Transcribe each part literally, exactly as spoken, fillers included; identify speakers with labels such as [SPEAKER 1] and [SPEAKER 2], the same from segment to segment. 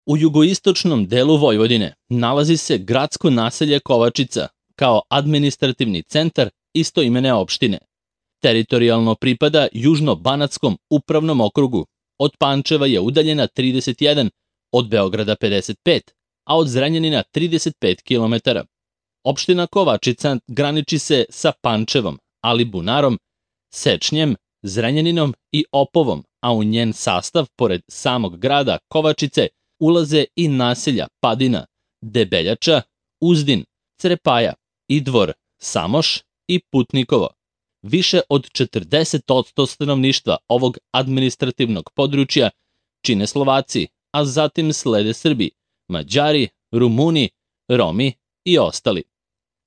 [SPEAKER 1] U jugoistočnom delu Vojvodine nalazi se gradsko naselje Kovačica kao administrativni centar istoimene opštine. Teritorijalno pripada Južno-Banatskom upravnom okrugu. Od Pančeva je udaljena trideset jedan, od Beograda pedeset pet, a od Zrenjanina trideset pet kilometara. Opština Kovačica graniči se sa Pančevom, Alibunarom, Sečnjem, Zrenjaninom i Opovom, a u njen sastav, pored samog grada Kovačice, ulaze i naselja Padina, Debeljača, Uzdin, Crepaja, Idvor, Samoš i Putnikovo. Više od četrdeset posto stanovništva ovog administrativnog područja čine Slovaci, a zatim slede Srbi, Mađari, Rumuni, Romi i ostali.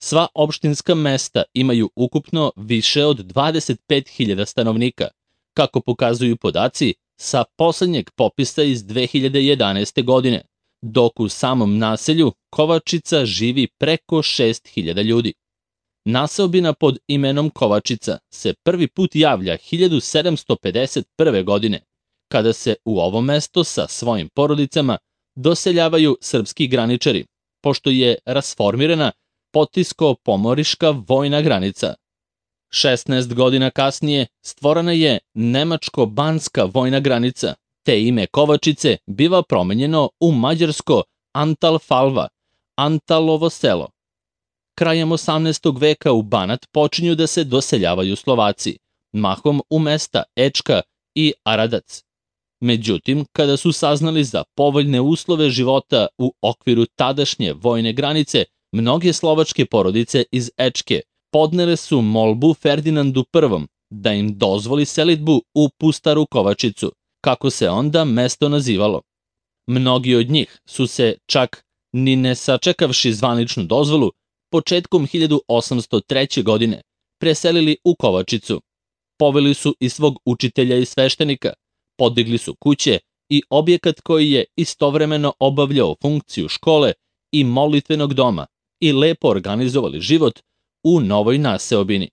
[SPEAKER 1] Sva opštinska mesta imaju ukupno više od dvadeset pet hiljada stanovnika, kako pokazuju podaci sa poslednjeg popisa iz dve hiljade jedanaeste. godine, dok u samom naselju Kovačica živi preko šest hiljada ljudi. Naseobina pod imenom Kovačica se prvi put javlja hiljadu sedamsto pedeset prve. godine, kada se u ovo mesto sa svojim porodicama doseljavaju srpski graničari, pošto je rasformirana Potisko-pomoriška vojna granica. šesnaest godina kasnije stvorena je Nemačko-banska vojna granica, te ime Kovačice biva promenjeno u mađarsko Antalfalva, Antalovo selo. Krajem osamnaestog veka u Banat počinju da se doseljavaju Slovaci, mahom u mesta Ečka i Aradac. Međutim, kada su saznali za povoljne uslove života u okviru tadašnje vojne granice, mnoge slovačke porodice iz Ečke podnele su molbu Ferdinandu Prvom da im dozvoli selidbu u Pustaru Kovačicu, kako se onda mesto nazivalo. Mnogi od njih su se čak, ni ne sačekavši zvaničnu dozvolu, početkom hiljadu osamsto treće. godine preselili u Kovačicu. Poveli su i svog učitelja i sveštenika, podigli su kuće i objekat koji je istovremeno obavljao funkciju škole i molitvenog doma i lepo organizovali život u novoj naseobini.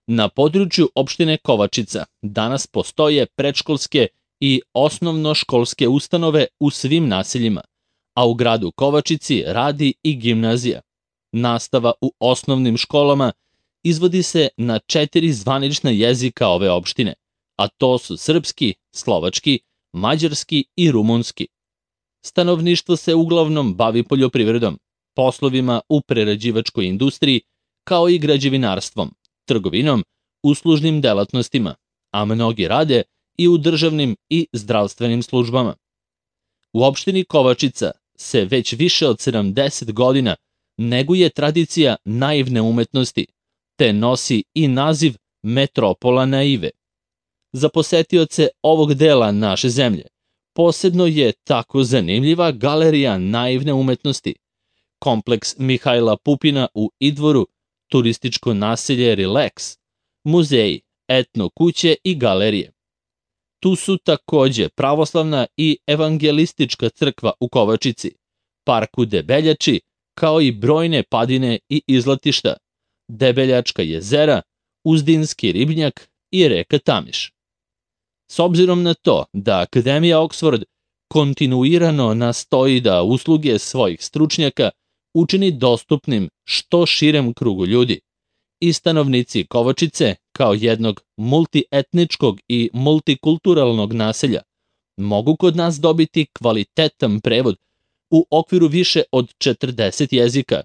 [SPEAKER 1] Na području opštine Kovačica danas postoje predškolske i osnovnoškolske ustanove u svim naseljima, a u gradu Kovačici radi i gimnazija. Nastava u osnovnim školama izvodi se na četiri zvanična jezika ove opštine, a to su srpski, slovački, mađarski i rumunski. Stanovništvo se uglavnom bavi poljoprivredom, poslovima u prerađivačkoj industriji, kao i građevinarstvom, trgovinom, uslužnim delatnostima, a mnogi rade i u državnim i zdravstvenim službama. U opštini Kovačica se već više od sedamdeset godina neguje tradicija naivne umetnosti, te nosi i naziv Metropola naive. Za posetioce ovog dela naše zemlje posebno je tako zanimljiva galerija naivne umetnosti, kompleks Mihajla Pupina u Idvoru, turističko naselje Relax, muzeji, etno kuće i galerije. Tu su takođe pravoslavna i evangelistička crkva u Kovačici, park u Debeljači, kao i brojne padine i izletišta, Debeljačka jezera, Uzdinski ribnjak i reka Tamiš. S obzirom na to da Akademija Oksford kontinuirano nastoji da usluge svojih stručnjaka učini dostupnim što širem krugu ljudi, i stanovnici Kovačice, kao jednog multietničkog i multikulturalnog naselja, mogu kod nas dobiti kvalitetan prevod u okviru više od četrdeset jezika,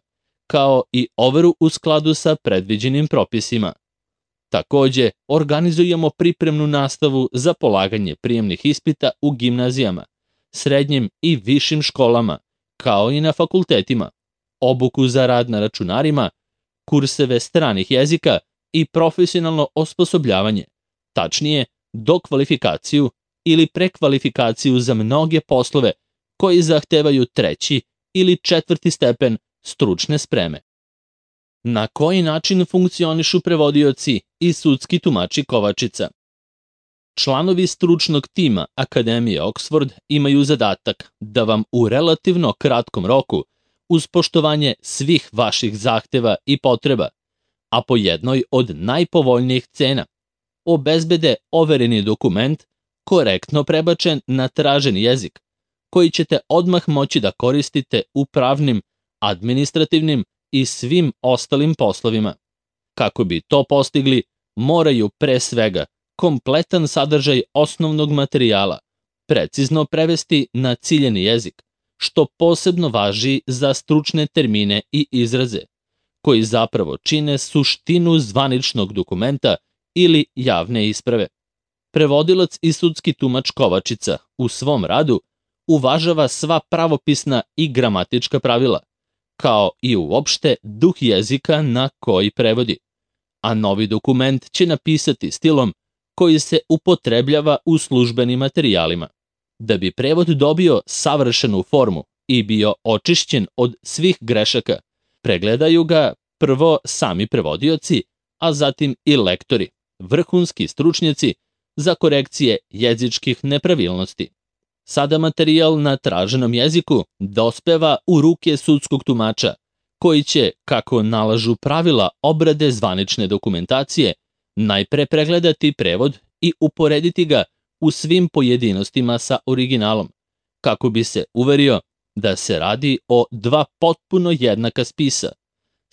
[SPEAKER 1] kao i overu u skladu sa predviđenim propisima. Takođe, organizujemo pripremnu nastavu za polaganje prijemnih ispita u gimnazijama, srednjim i višim školama, kao i na fakultetima, obuku za rad na računarima, kurseve stranih jezika i profesionalno osposobljavanje, tačnije dokvalifikaciju ili prekvalifikaciju za mnoge poslove koji zahtevaju treći ili četvrti stepen stručne spreme. Na koji način funkcionišu prevodioci i sudski tumači Kovačica? Članovi stručnog tima Akademije Oksford imaju zadatak da vam u relativno kratkom roku, uz poštovanje svih vaših zahteva i potreba, a po jednoj od najpovoljnijih cena, obezbede overeni dokument, korektno prebačen na traženi jezik, koji ćete odmah moći da koristite u pravnim, administrativnim i svim ostalim poslovima. Kako bi to postigli, moraju pre svega kompletan sadržaj osnovnog materijala precizno prevesti na ciljeni jezik, što posebno važi za stručne termine i izraze, koji zapravo čine suštinu zvaničnog dokumenta ili javne isprave. Prevodilac i sudski tumač Kovačica u svom radu uvažava sva pravopisna i gramatička pravila, kao i uopšte duh jezika na koji prevodi, a novi dokument će napisati stilom koji se upotrebljava u službenim materijalima. Da bi prevod dobio savršenu formu i bio očišćen od svih grešaka, pregledaju ga prvo sami prevodioci, a zatim i lektori, vrhunski stručnjaci za korekcije jezičkih nepravilnosti. Sada materijal na traženom jeziku dospeva u ruke sudskog tumača, koji će, kako nalažu pravila obrade zvanične dokumentacije, najpre pregledati prevod i uporediti ga u svim pojedinostima sa originalom, kako bi se uverio da se radi o dva potpuno jednaka spisa,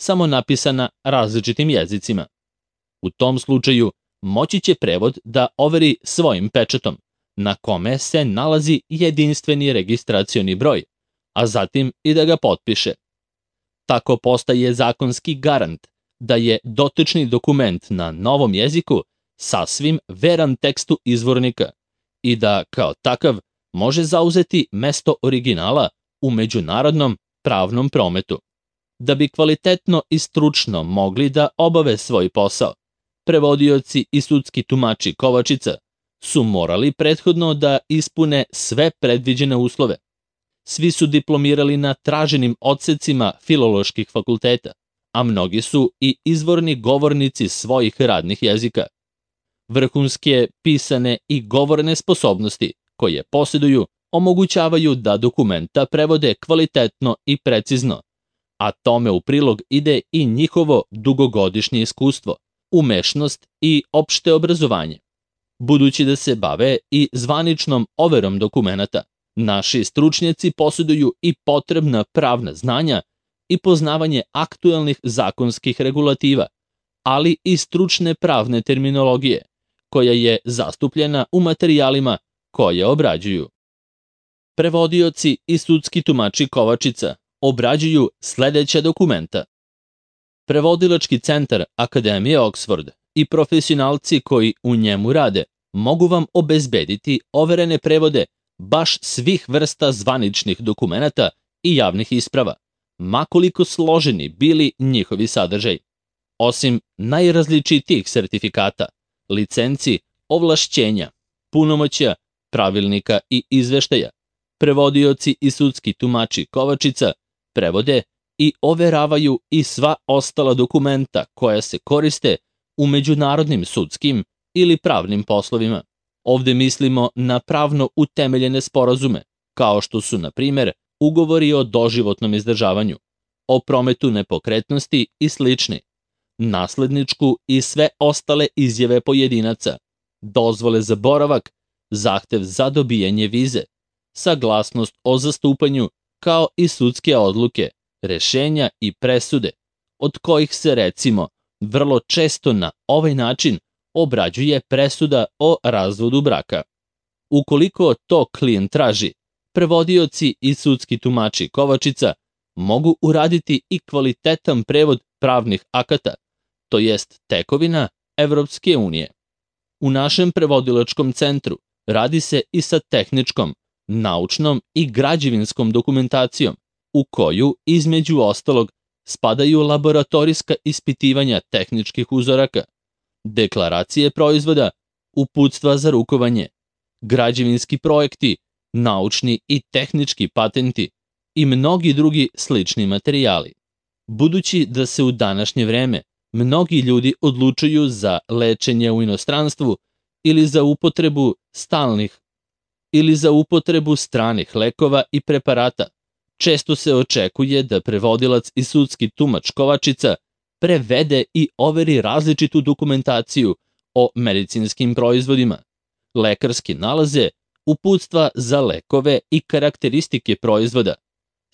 [SPEAKER 1] samo napisana različitim jezicima. U tom slučaju moći će prevod da overi svojim pečatom, na kome se nalazi jedinstveni registracioni broj, a zatim i da ga potpiše. Tako postaje zakonski garant da je dotični dokument na novom jeziku sasvim veran tekstu izvornika i da, kao takav, može zauzeti mesto originala u međunarodnom pravnom prometu. Da bi kvalitetno i stručno mogli da obave svoj posao, prevodioci i sudski tumači Kovačica su morali prethodno da ispune sve predviđene uslove. Svi su diplomirali na traženim odsecima filoloških fakulteta, a mnogi su i izvorni govornici svojih radnih jezika. Vrhunske pisane i govorne sposobnosti koje posjeduju omogućavaju da dokumenta prevode kvalitetno i precizno, a tome u prilog ide i njihovo dugogodišnje iskustvo, umešnost i opšte obrazovanje. Budući da se bave i zvaničnom overom dokumenata, naši stručnjaci posjeduju i potrebna pravna znanja i poznavanje aktuelnih zakonskih regulativa, ali i stručne pravne terminologije, koja je zastupljena u materijalima koje obrađuju. Prevodioci i sudski tumači Kovačica obrađuju sledeća dokumenta. Prevodilački centar Akademije Oxford i profesionalci koji u njemu rade mogu vam obezbediti overene prevode baš svih vrsta zvaničnih dokumenata i javnih isprava, makoliko složeni bili njihovi sadržaj. Osim najrazličitijih sertifikata, licenci, ovlašćenja, punomoćja, pravilnika i izveštaja, prevodioci i sudski tumači Kovačica prevode i overavaju i sva ostala dokumenta koja se koriste u međunarodnim sudskim ili pravnim poslovima. Ovde mislimo na pravno utemeljene sporazume, kao što su, na primer, ugovori o doživotnom izdržavanju, o prometu nepokretnosti i slični, nasledničku i sve ostale izjave pojedinaca, dozvole za boravak, zahtev za dobijanje vize, saglasnost o zastupanju, kao i sudske odluke, rešenja i presude, od kojih se, recimo, vrlo često na ovaj način obrađuje presuda o razvodu braka. Ukoliko to klijent traži, prevodioci i sudski tumači Kovačica mogu uraditi i kvalitetan prevod pravnih akata, to jest tekovina Evropske unije. U našem prevodilačkom centru radi se i sa tehničkom, naučnom i građevinskom dokumentacijom, u koju, između ostalog, spadaju laboratorijska ispitivanja tehničkih uzoraka, deklaracije proizvoda, uputstva za rukovanje, građevinski projekti, naučni i tehnički patenti i mnogi drugi slični materijali. Budući da se u današnje vreme mnogi ljudi odlučuju za lečenje u inostranstvu ili za upotrebu stalnih ili za upotrebu stranih lekova i preparata, često se očekuje da prevodilac i sudski tumač Kovačica prevede i overi različitu dokumentaciju o medicinskim proizvodima, lekarske nalaze, uputstva za lekove i karakteristike proizvoda,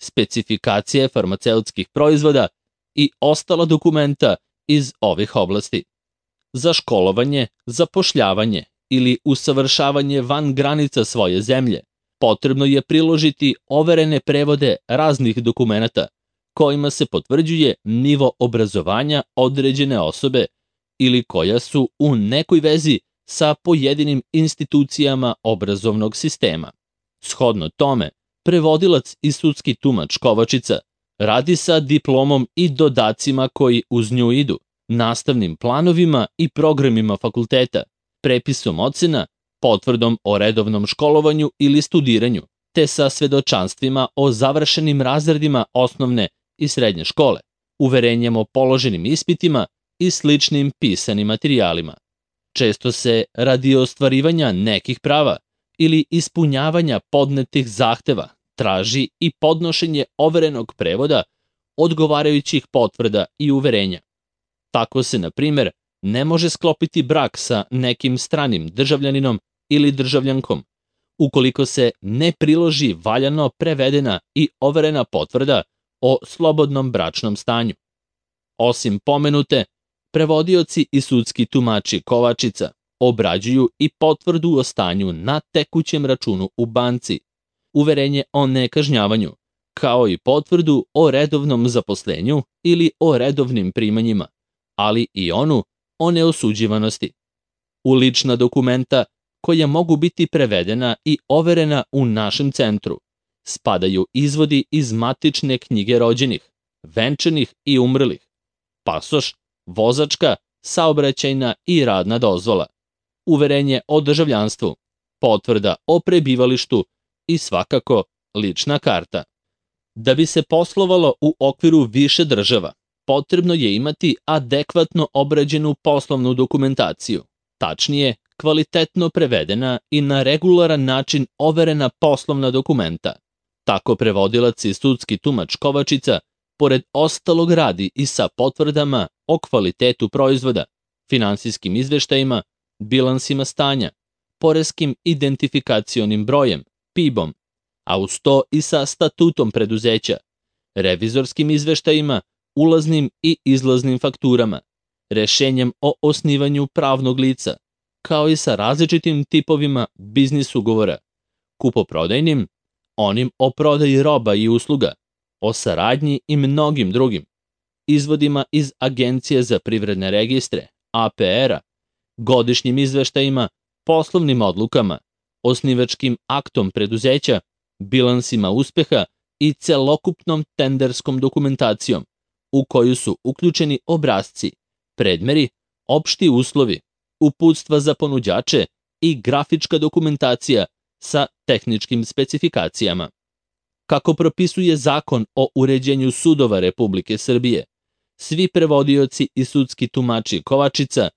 [SPEAKER 1] specifikacije farmaceutskih proizvoda i ostala dokumenta iz ovih oblasti. Za školovanje, zapošljavanje ili usavršavanje van granica svoje zemlje potrebno je priložiti overene prevode raznih dokumenata kojima se potvrđuje nivo obrazovanja određene osobe ili koja su u nekoj vezi sa pojedinim institucijama obrazovnog sistema. Shodno tome, prevodilac i sudski tumač Kovačica radi sa diplomom i dodacima koji uz nju idu, nastavnim planovima i programima fakulteta, prepisom ocena, potvrdom o redovnom školovanju ili studiranju, te sa svedočanstvima o završenim razredima osnovne i srednje škole, uverenjem o položenim ispitima i sličnim pisanim materijalima. Često se radi ostvarivanja nekih prava ili ispunjavanja podnetih zahteva traži i podnošenje overenog prevoda odgovarajućih potvrda i uverenja. Tako se, na primer, ne može sklopiti brak sa nekim stranim državljaninom ili državljankom, ukoliko se ne priloži valjano prevedena i overena potvrda o slobodnom bračnom stanju. Osim pomenute, prevodioci i sudski tumači Kovačica obrađuju i potvrdu o stanju na tekućem računu u banci, uverenje o nekažnjavanju, kao i potvrdu o redovnom zaposlenju ili o redovnim primanjima, ali i onu o neosuđivanosti. U lična dokumenta koja mogu biti prevedena i overena u našem centru spadaju izvodi iz matične knjige rođenih, venčanih i umrlih, pasoš, vozačka, saobraćajna i radna dozvola, uverenje o državljanstvu, potvrda o prebivalištu i svakako lična karta. Da bi se poslovalo u okviru više država, potrebno je imati adekvatno obrađenu poslovnu dokumentaciju, tačnije, kvalitetno prevedena i na regularan način overena poslovna dokumenta. Tako prevodilac i sudski tumač Kovačica, pored ostalog, radi i sa potvrdama o kvalitetu proizvoda, finansijskim izveštajima, bilansima stanja, poreskim identifikacionim brojem, P I B-om, a uz to i sa statutom preduzeća, revizorskim izveštajima, ulaznim i izlaznim fakturama, rešenjem o osnivanju pravnog lica, kao i sa različitim tipovima biznis ugovora, kupoprodajnim, onim o prodaji roba i usluga, o saradnji i mnogim drugim, izvodima iz Agencije za privredne registre, A P R-a, godišnjim izveštajima, poslovnim odlukama, osnivačkim aktom preduzeća, bilansima uspeha i celokupnom tenderskom dokumentacijom, u koju su uključeni obrasci, predmeri, opšti uslovi, uputstva za ponuđače i grafička dokumentacija sa tehničkim specifikacijama. Kako propisuje Zakon o uređenju sudova Republike Srbije, svi prevodioci i sudski tumači Kovačica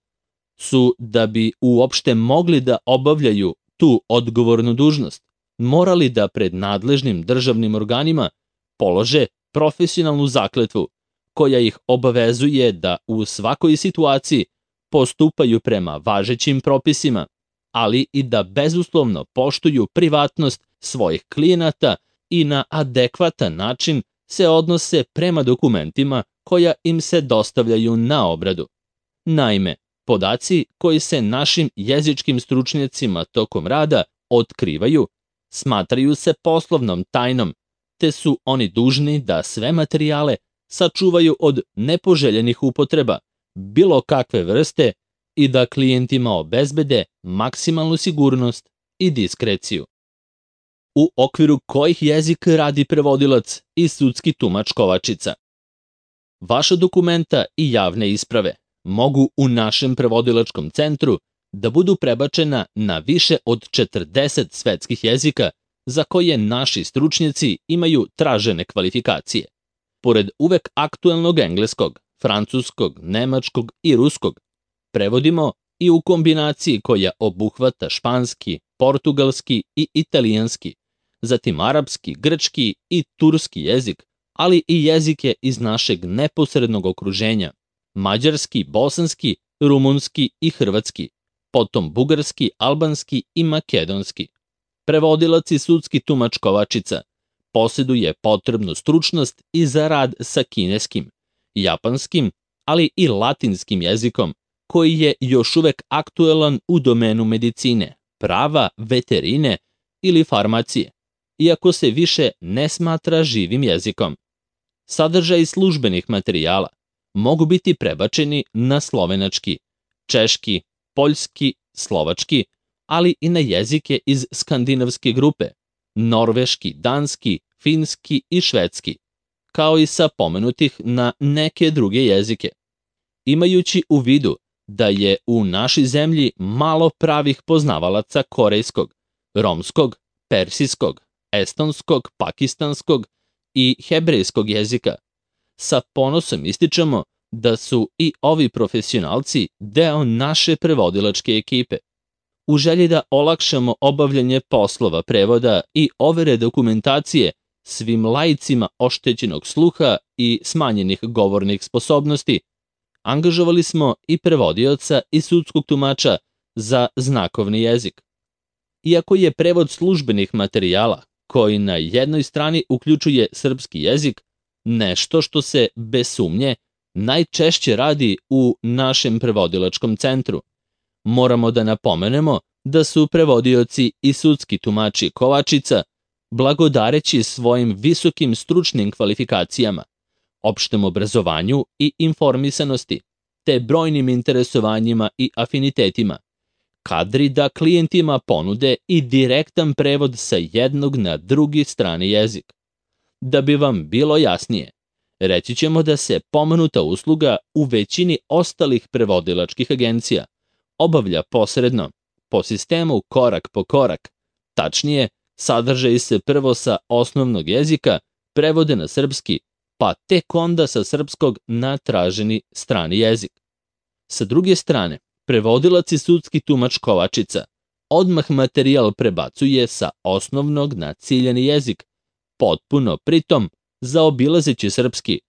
[SPEAKER 1] su, da bi uopšte mogli da obavljaju tu odgovornu dužnost, morali da pred nadležnim državnim organima polože profesionalnu zakletvu koja ih obavezuje da u svakoj situaciji postupaju prema važećim propisima, ali i da bezuslovno poštuju privatnost svojih klijenata i na adekvatan način se odnose prema dokumentima koja im se dostavljaju na obradu. Naime, podaci koji se našim jezičkim stručnjacima tokom rada otkrivaju smatraju se poslovnom tajnom, te su oni dužni da sve materijale sačuvaju od nepoželjenih upotreba bilo kakve vrste i da klijentima obezbede maksimalnu sigurnost i diskreciju. U okviru kojih jezik radi prevodilac i sudski tumač Kovačica? Vaša dokumenta i javne isprave mogu u našem prevodilačkom centru da budu prebačena na više od četrdeset svetskih jezika za koje naši stručnjaci imaju tražene kvalifikacije. Pored uvek aktuelnog engleskog, francuskog, nemačkog i ruskog, prevodimo i u kombinaciji koja obuhvata španski, portugalski i italijanski, zatim arapski, grčki i turski jezik, ali i jezike iz našeg neposrednog okruženja, mađarski, bosanski, rumunski i hrvatski, potom bugarski, albanski i makedonski. prevodilac i sudski tumač Kovačica posjeduje potrebnu stručnost i za rad sa kineskim, japanskim, ali i latinskim jezikom, koji je još uvek aktuelan u domenu medicine, prava, veterine ili farmacije, iako se više ne smatra živim jezikom. Sadržaj službenih materijala mogu biti prebačeni na slovenački, češki, poljski, slovački, ali i na jezike iz skandinavske grupe, norveški, danski, finski i švedski, kao i sa pomenutih na neke druge jezike. Imajući u vidu da je u našoj zemlji malo pravih poznavalaca korejskog, romskog, persijskog, estonskog, pakistanskog i hebrejskog jezika, sa ponosom ističemo da su i ovi profesionalci deo naše prevodilačke ekipe. U želji da olakšamo obavljanje poslova prevoda i overe dokumentacije svim laicima oštećenog sluha i smanjenih govornih sposobnosti, angažovali smo i prevodioca i sudskog tumača za znakovni jezik. Iako je prevod službenih materijala, koji na jednoj strani uključuje srpski jezik, nešto što se, bez sumnje, najčešće radi u našem prevodilačkom centru, moramo da napomenemo da su prevodioci i sudski tumači Kovačica, blagodareći svojim visokim stručnim kvalifikacijama, opštem obrazovanju i informisanosti, te brojnim interesovanjima i afinitetima, kadri da klijentima ponude i direktan prevod sa jednog na drugi strani jezik. Da bi vam bilo jasnije, reći ćemo da se pomenuta usluga u većini ostalih prevodilačkih agencija obavlja posredno, po sistemu korak po korak, tačnije, sadržaji se prvo sa osnovnog jezika prevode na srpski, pa tek onda sa srpskog na traženi strani jezik. Sa druge strane, prevodilac i sudski tumač Kovačica odmah materijal prebacuje sa osnovnog na ciljani jezik, potpuno pritom zaobilazeći srpski,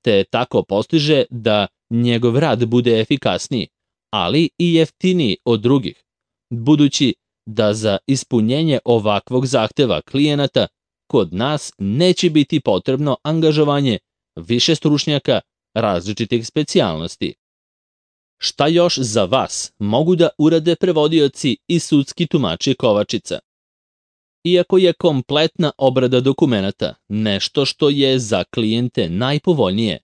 [SPEAKER 1] te tako postiže da njegov rad bude efikasniji, ali i jeftiniji od drugih, budući da za ispunjenje ovakvog zahteva klijenata kod nas neće biti potrebno angažovanje više stručnjaka različitih specijalnosti. Šta još za vas mogu da urade prevodioci i sudski tumači Kovačica? Iako je kompletna obrada dokumenata nešto što je za klijente najpovoljnije,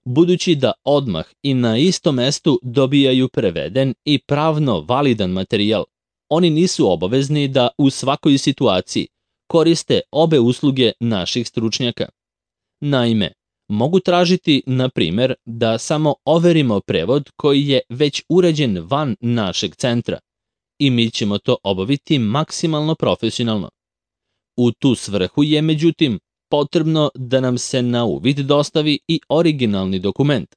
[SPEAKER 1] budući da odmah i na istom mestu dobijaju preveden i pravno validan materijal, oni nisu obavezni da u svakoj situaciji koriste obe usluge naših stručnjaka. Naime, mogu tražiti, na primer, da samo overimo prevod koji je već urađen van našeg centra i mi ćemo to obaviti maksimalno profesionalno. U tu svrhu je, međutim, potrebno da nam se na uvid dostavi i originalni dokument,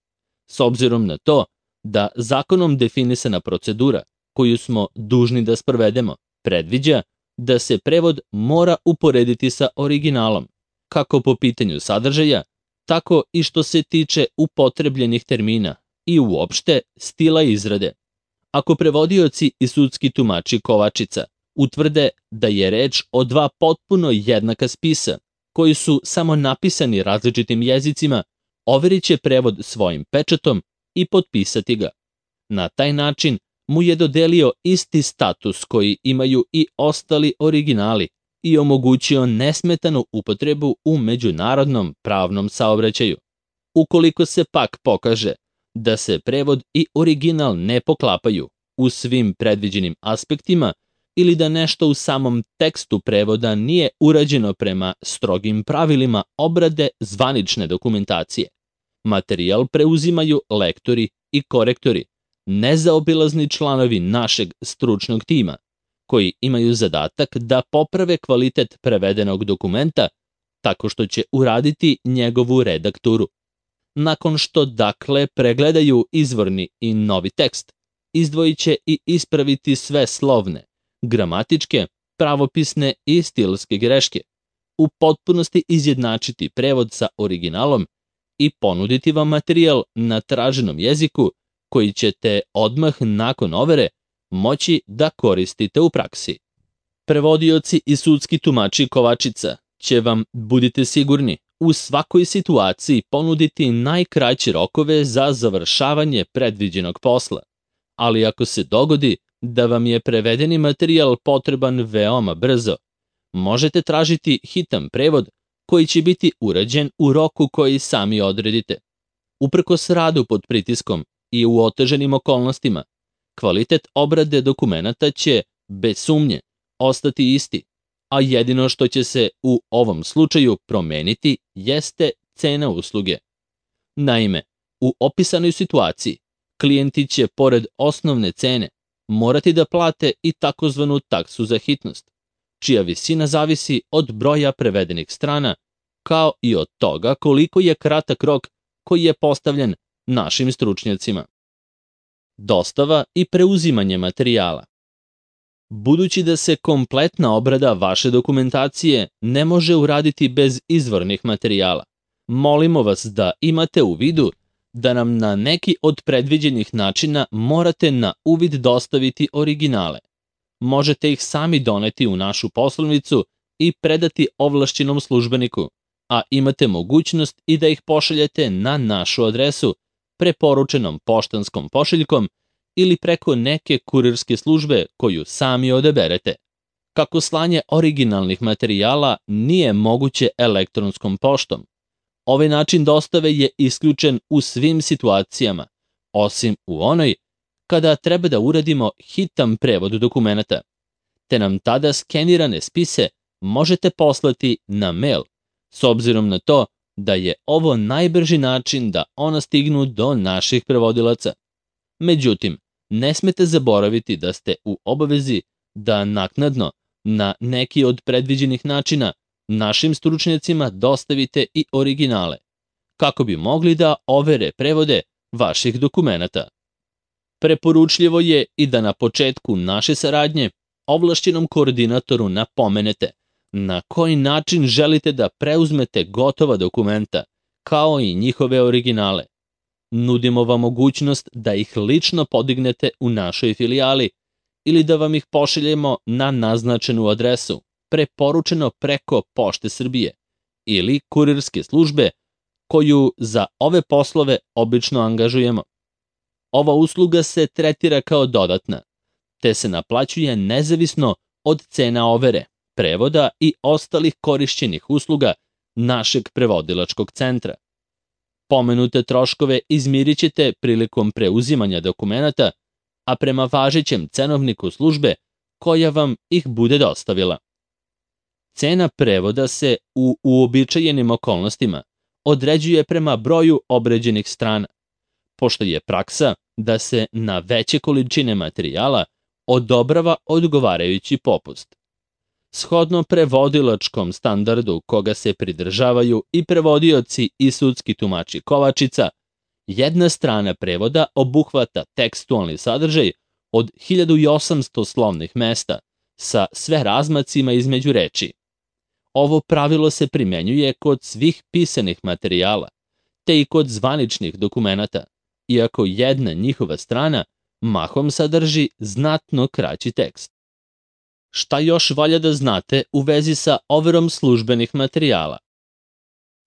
[SPEAKER 1] s obzirom na to da zakonom definisana procedura koju smo dužni da sprovedemo predviđa da se prevod mora uporediti sa originalom, kako po pitanju sadržaja, tako i što se tiče upotrebljenih termina i uopšte stila izrade. Ako prevodioci i sudski tumači Kovačica utvrde da je reč o dva potpuno jednaka spisa, koji su samo napisani različitim jezicima, overit će prevod svojim pečatom i potpisati ga. Na taj način mu je dodelio isti status koji imaju i ostali originali i omogućio nesmetanu upotrebu u međunarodnom pravnom saobraćaju. Ukoliko se pak pokaže da se prevod i original ne poklapaju u svim predviđenim aspektima ili da nešto u samom tekstu prevoda nije urađeno prema strogim pravilima obrade zvanične dokumentacije, materijal preuzimaju lektori i korektori, nezaobilazni članovi našeg stručnog tima, koji imaju zadatak da poprave kvalitet prevedenog dokumenta tako što će uraditi njegovu redakturu. Nakon što dakle pregledaju izvorni i novi tekst, izdvojit će i ispraviti sve slovne, gramatičke, pravopisne i stilske greške, u potpunosti izjednačiti prevod sa originalom i ponuditi vam materijal na traženom jeziku koji ćete odmah nakon overe moći da koristite u praksi. Prevodioci i sudski tumači Kovačica će vam, budite sigurni, u svakoj situaciji ponuditi najkraće rokove za završavanje predviđenog posla, ali ako se dogodi da vam je prevedeni materijal potreban veoma brzo, možete tražiti hitan prevod koji će biti urađen u roku koji sami odredite. Uprkos radu pod pritiskom i u oteženim okolnostima, kvalitet obrade dokumenata će, bez sumnje, ostati isti, a jedino što će se u ovom slučaju promeniti jeste cena usluge. Naime, u opisanoj situaciji, klijenti će, pored osnovne cene, morati da plate i takozvanu taksu za hitnost, čija visina zavisi od broja prevedenih strana, kao i od toga koliko je kratak rok koji je postavljen našim stručnjacima. Dostava i preuzimanje materijala. Budući da se kompletna obrada vaše dokumentacije ne može uraditi bez izvornih materijala, molimo vas da imate u vidu da nam na neki od predviđenih načina morate na uvid dostaviti originale. Možete ih sami doneti u našu poslovnicu i predati ovlašćenom službeniku, a imate mogućnost i da ih pošaljete na našu adresu preporučenom poštanskom pošiljkom ili preko neke kurirske službe koju sami odaberete. Kako slanje originalnih materijala nije moguće elektronskom poštom, ovaj način dostave je isključen u svim situacijama, osim u onoj kada treba da uradimo hitan prevod dokumenata, te nam tada skenirane spise možete poslati na mail, s obzirom na to da je ovo najbrži način da ona stignu do naših prevodilaca. Međutim, ne smete zaboraviti da ste u obavezi da naknadno, na neki od predviđenih načina, našim stručnjacima dostavite i originale, kako bi mogli da overe prevode vaših dokumenata. Preporučljivo je i da na početku naše saradnje ovlašćenom koordinatoru napomenete na koji način želite da preuzmete gotova dokumenta, kao i njihove originale. Nudimo vam mogućnost da ih lično podignete u našoj filijali ili da vam ih pošaljemo na naznačenu adresu, preporučeno preko Pošte Srbije ili kurirske službe koju za ove poslove obično angažujemo. Ova usluga se tretira kao dodatna, te se naplaćuje nezavisno od cena overe, prevoda i ostalih korišćenih usluga našeg prevodilačkog centra. Pomenute troškove izmirit ćete prilikom preuzimanja dokumenata, a prema važećem cenovniku službe koja vam ih bude dostavila. Cena prevoda se u uobičajenim okolnostima određuje prema broju obrađenih strana, pošto je praksa da se na veće količine materijala odobrava odgovarajući popust. Shodno prevodilačkom standardu koga se pridržavaju i prevodioci i sudski tumači Kovačica, jedna strana prevoda obuhvata tekstualni sadržaj od hiljadu osamsto slovnih mesta sa sve razmacima između reči. Ovo pravilo se primenjuje kod svih pisanih materijala, te i kod zvaničnih dokumenata, iako jedna njihova strana mahom sadrži znatno kraći tekst. Šta još valja da znate u vezi sa overom službenih materijala?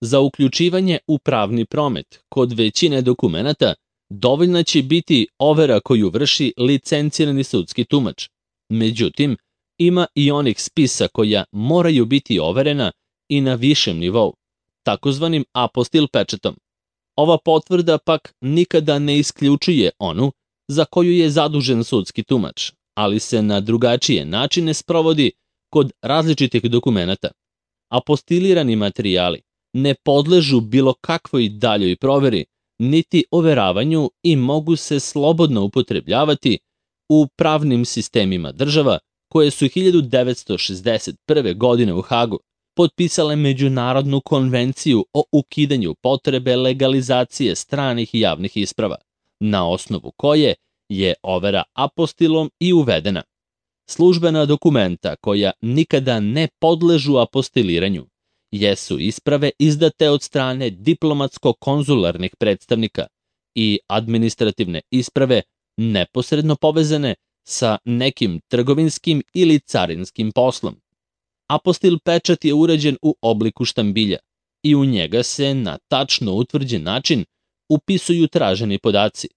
[SPEAKER 1] Za uključivanje u pravni promet kod većine dokumenata dovoljna će biti overa koju vrši licencirani sudski tumač. Međutim, ima i onih spisa koja moraju biti overena i na višem nivou, takozvanim apostil pečatom. Ova potvrda pak nikada ne isključuje onu za koju je zadužen sudski tumač, ali se na drugačije načine sprovodi kod različitih dokumenata. Apostilirani materijali ne podležu bilo kakvoj daljoj proveri, niti overavanju i mogu se slobodno upotrebljavati u pravnim sistemima država koje su hiljadu devetsto šezdeset prve. godine u Hagu potpisale Međunarodnu konvenciju o ukidanju potrebe legalizacije stranih i javnih isprava, na osnovu koje je overa apostilom i uvedena. Službena dokumenta koja nikada ne podležu apostiliranju jesu isprave izdate od strane diplomatsko-konzularnih predstavnika i administrativne isprave neposredno povezane sa nekim trgovinskim ili carinskim poslom. Apostil pečat je urađen u obliku štambilja i u njega se na tačno utvrđen način upisuju traženi podaci.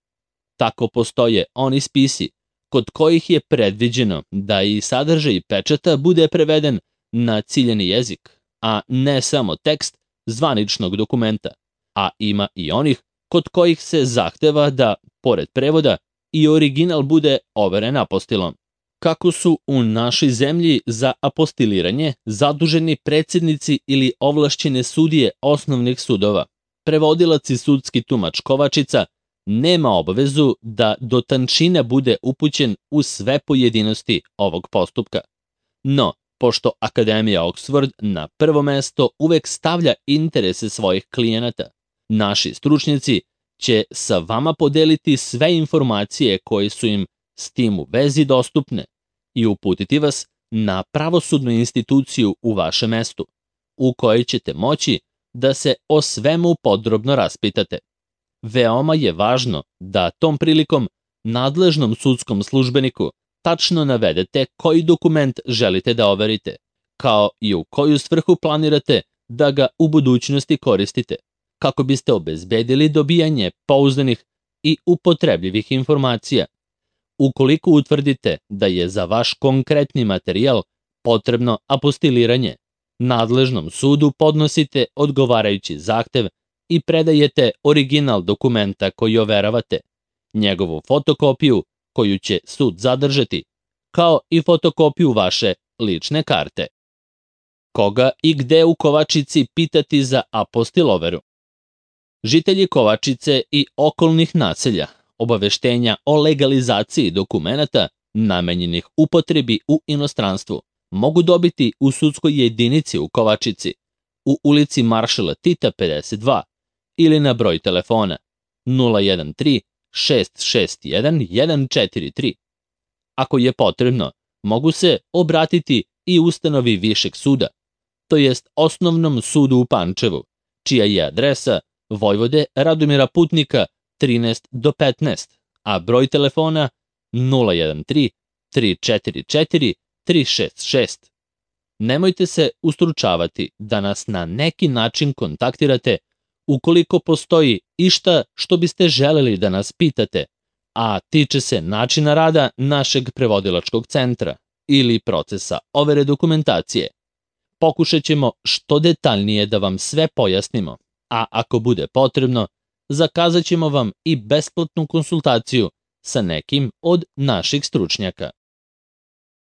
[SPEAKER 1] Tako postoje oni spisi kod kojih je predviđeno da i sadržaj pečata bude preveden na ciljani jezik, a ne samo tekst zvaničnog dokumenta, a ima i onih kod kojih se zahteva da, pored prevoda, i original bude overen apostilom. Kako su u našoj zemlji za apostiliranje zaduženi predsjednici ili ovlašćene sudije osnovnih sudova, prevodilac i sudski tumač Kovačica nema obavezu da do tančina bude upućen u sve pojedinosti ovog postupka. No, pošto Akademija Oxford na prvo mesto uvek stavlja interese svojih klijenata, naši stručnjaci će sa vama podeliti sve informacije koje su im s tim u vezi dostupne i uputiti vas na pravosudnu instituciju u vašem mestu, u kojoj ćete moći da se o svemu podrobno raspitate. Veoma je važno da tom prilikom nadležnom sudskom službeniku tačno navedete koji dokument želite da overite, kao i u koju svrhu planirate da ga u budućnosti koristite, kako biste obezbedili dobijanje pouzdanih i upotrebljivih informacija. Ukoliko utvrdite da je za vaš konkretni materijal potrebno apostiliranje, nadležnom sudu podnosite odgovarajući zahtev i predajete original dokumenta koji overavate, njegovu fotokopiju koju će sud zadržati, kao i fotokopiju vaše lične karte. Koga i gde u Kovačici pitati za apostiloveru? Žitelji Kovačice i okolnih naselja obaveštenja o legalizaciji dokumenata namenjenih upotrebi u inostranstvu mogu dobiti u sudskoj jedinici u Kovačici, u ulici Maršala Tita pedeset dva ili na broj telefona nula jedan tri šest šest jedan jedan četiri tri. Ako je potrebno, mogu se obratiti i ustanovi Višeg suda, to jest Osnovnom sudu u Pančevu, čija je adresa Vojvode Radomira Putnika trinaest do petnaest, a broj telefona nula jedan tri tri četiri četiri tri šest šest. Nemojte se ustručavati da nas na neki način kontaktirate ukoliko postoji išta što biste želeli da nas pitate, a tiče se načina rada našeg prevodilačkog centra ili procesa overe dokumentacije. Pokušat ćemo što detaljnije da vam sve pojasnimo, a ako bude potrebno, zakazat ćemo vam i besplatnu konsultaciju sa nekim od naših stručnjaka.